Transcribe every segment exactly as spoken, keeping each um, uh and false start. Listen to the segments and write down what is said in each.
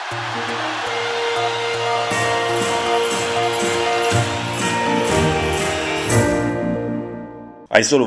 Այսօր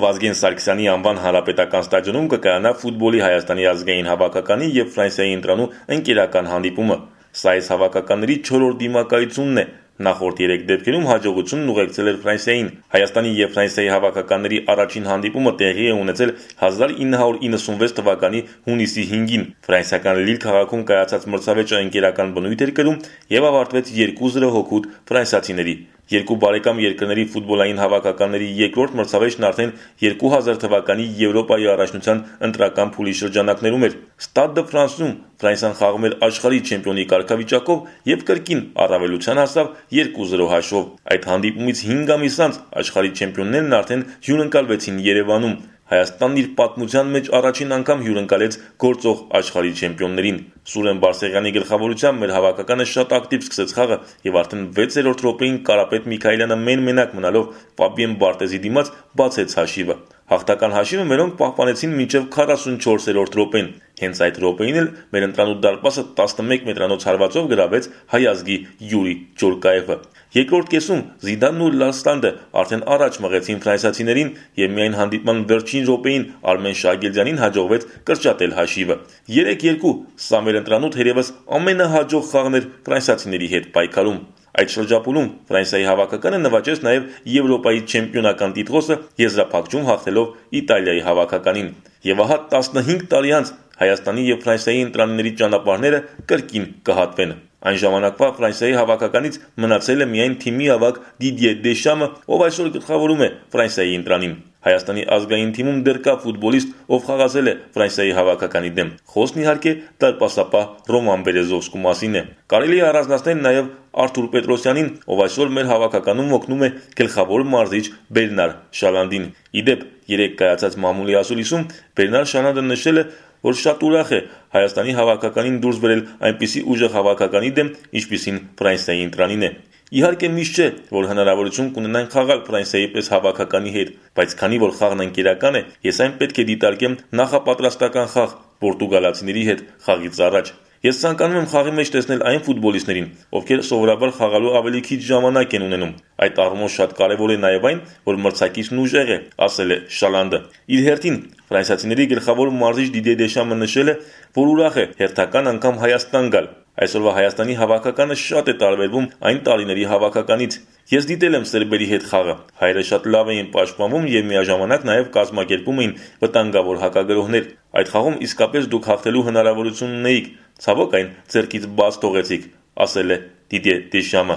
Վազգեն Սարգսյանի անվան հանրապետական ստադիոնում կկայանա ֆուտբոլի Հայաստանի ազգային հավաքականի եւ Ֆրանսիայի ընտրանու ընկերական հանդիպումը։ Սա այս հավաքականների չորրորդ դիմակայությունն է։ Նախորդ երեք դեպքերում հաջողությունն ուղեկցել էր Ֆրանսիային։ Հայաստանի եւ Ֆրանսիայի հավաքականների առաջին հանդիպումը տեղի է ունեցել հազար ինը հարյուր իննսունվեց թվականի հունիսի հինգին։ Ֆրանսիական Լիլ քաղաքում կայացած մրցավեճը ընկերական բնույթ էր կրում եւ ավարտվեց երկու զրո հոգուտ ֆրանսիացիների։ Երկու բարեկամ երկրների ֆուտբոլային հավաքականների երկրորդ մրցավեճն արդեն երկու հազար թվականի Եվրոպայի առաջնության ընտրական փուլի շրջանակներում էր։ Stade de France-ում Ֆրանսիան խաղում էր աշխարհի չեմպիոնի կարգավիճակով եւ կրկին առավելության հասավ երկու զրո հաշվով։ Այդ հանդիպումից հինգ ամիս անց աշխարհի չեմպիոններն արդեն հյուրընկալվեցին Երևանում։ Հայաստանն իր պատմության մեջ առաջին անգամ հյուրընկալեց գործող աշխարհի չեմպիոններին։ Սուրեն Բարսեղյանի գլխավորությամբ մեր հավաքականը շատ ակտիվ սկսեց խաղը եւ արդեն վեցերորդ րոպեին Կարապետ Միքայելյանը մեն-մենակ մնալով Ֆաբիեն Բարտեզի դիմաց բացեց հաշիվը։ Հաղթական հաշիվը մերոնք պահպանեցին մինչև քառասունչորսերորդ րոպեն։ Հենց այդ րոպեին էլ մեր ընտրանու դարպասը տասնմեկ մետրանոց հարվածով գրավեց հայ ազգի Յուրի Ճորկաևը։ Երկրորդ կեսում Զիդանն ու Լաստանդը արդեն առաջ մղեցին ֆրանսիացիներին եւ միայն հանդիպման վերջին րոպեին Արմեն Շագելյանին հաջողվեց կրճատել հաշիվը։ երեք երկու սա մեր ընտրանու թերևս ամենահաջող խաղն էր ֆրանսիացիների հետ պայքարում։ Այդ շրջափուլում Ֆրանսիայի հավաքականը նվաճեց նաև Եվրոպայի չեմպիոնական տիտղոսը եզրափակում հաղթելով Իտալիայի հավաքականին։ Եվ ահա տասնհինգ տարի անց Հայաստանի եւ Ֆրանսիայի ընտրանիների ճանապարհները կրկին կհատվեն։ Այն ժամանակվա Ֆրանսիայի հավաքականից մնացել է միայն թիմի ավագ Դիդիե Դեշամը, ով այսօր գլխավորում է Ֆրանսիայի ընտրանին։ Հայաստանի ազգային թիմում դեռ կա ֆուտբոլիստ, ով խաղացել է Ֆրանսիայի հավաքականի դեմ։ Խոսքն իհարկե դարպասապահ Ռոման Բերեզովսկու մասին է։ Կարելի է առանձնացնել նաև Արթուր Պետրոսյանին, ով այսօր մեր հավաքականում օգնում է գլխավոր մարզիչ Բերնար Շալանդին։ Իդեպ երեք կայացած մամուլի ասուլիսում Բերնար Շալանդը նշել է, որ շատ ուրախ է Հայաստանի հավաքականին դուրս բերել այնպիսի ուժեղ հավաքականի դեմ, ինչպիսին Ֆրանսիայի ընտրանին է։ Իհարկե միշտ չէ, որ հնարավորություն կունենան խաղալ Ֆրանսիայի պես հավաքականի հետ, բայց քանի որ խաղն ընկերական է, ես այն պետք է դիտարկեմ նախապատրաստական խաղ պորտուգալացիների հետ խաղից առաջ։ Ես ցանկանում եմ խաղի մեջ տեսնել այն ֆուտբոլիստներին, ովքեր սովորաբար խաղալու ավելի քիչ ժամանակ են ունենում։ Այդ առումով շատ կարևոր է նաև այն, որ մրցակիցն ուժեղ է, ասել է Շալանդը։ Իր հերթին ֆրանսիացիների գլխավոր մարզիչ Դիդիե Դեշամը նշել է, որ ուրախ է հերթական անգամ Հայաստան գալ։ Այսօրվա Հայաստանի հավաքականը շատ է տարբերվում այն տարիների հավաքականից։ Ես դիտել եմ սերբերի հետ խաղը։ Հայերը շատ լավ էին պաշտպանվում եւ միաժամանակ նաեւ կազմակերպում էին վտանգավոր հակագրոհներ։ Այդ խաղում իսկապես դուք հաղթելու հնարավորություն ունեիք, ցավոք այն ձեռքից բաց թողեցիք, ասել է Դիդիե Դեշամը։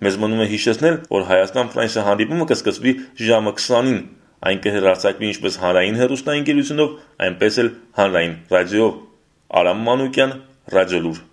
Մեզ մնում է հիշեցնել, որ Հայաստան-Ֆրանսիա հանդիպումը կսկսվի ժամը քսանին։ Այն կհեռարձակվի ինչպես հանրային հեռուստաընկերությունով, այնպես էլ հանրային ռադիոյով։ Արամ Մանուկյան, Ռադիոլուր։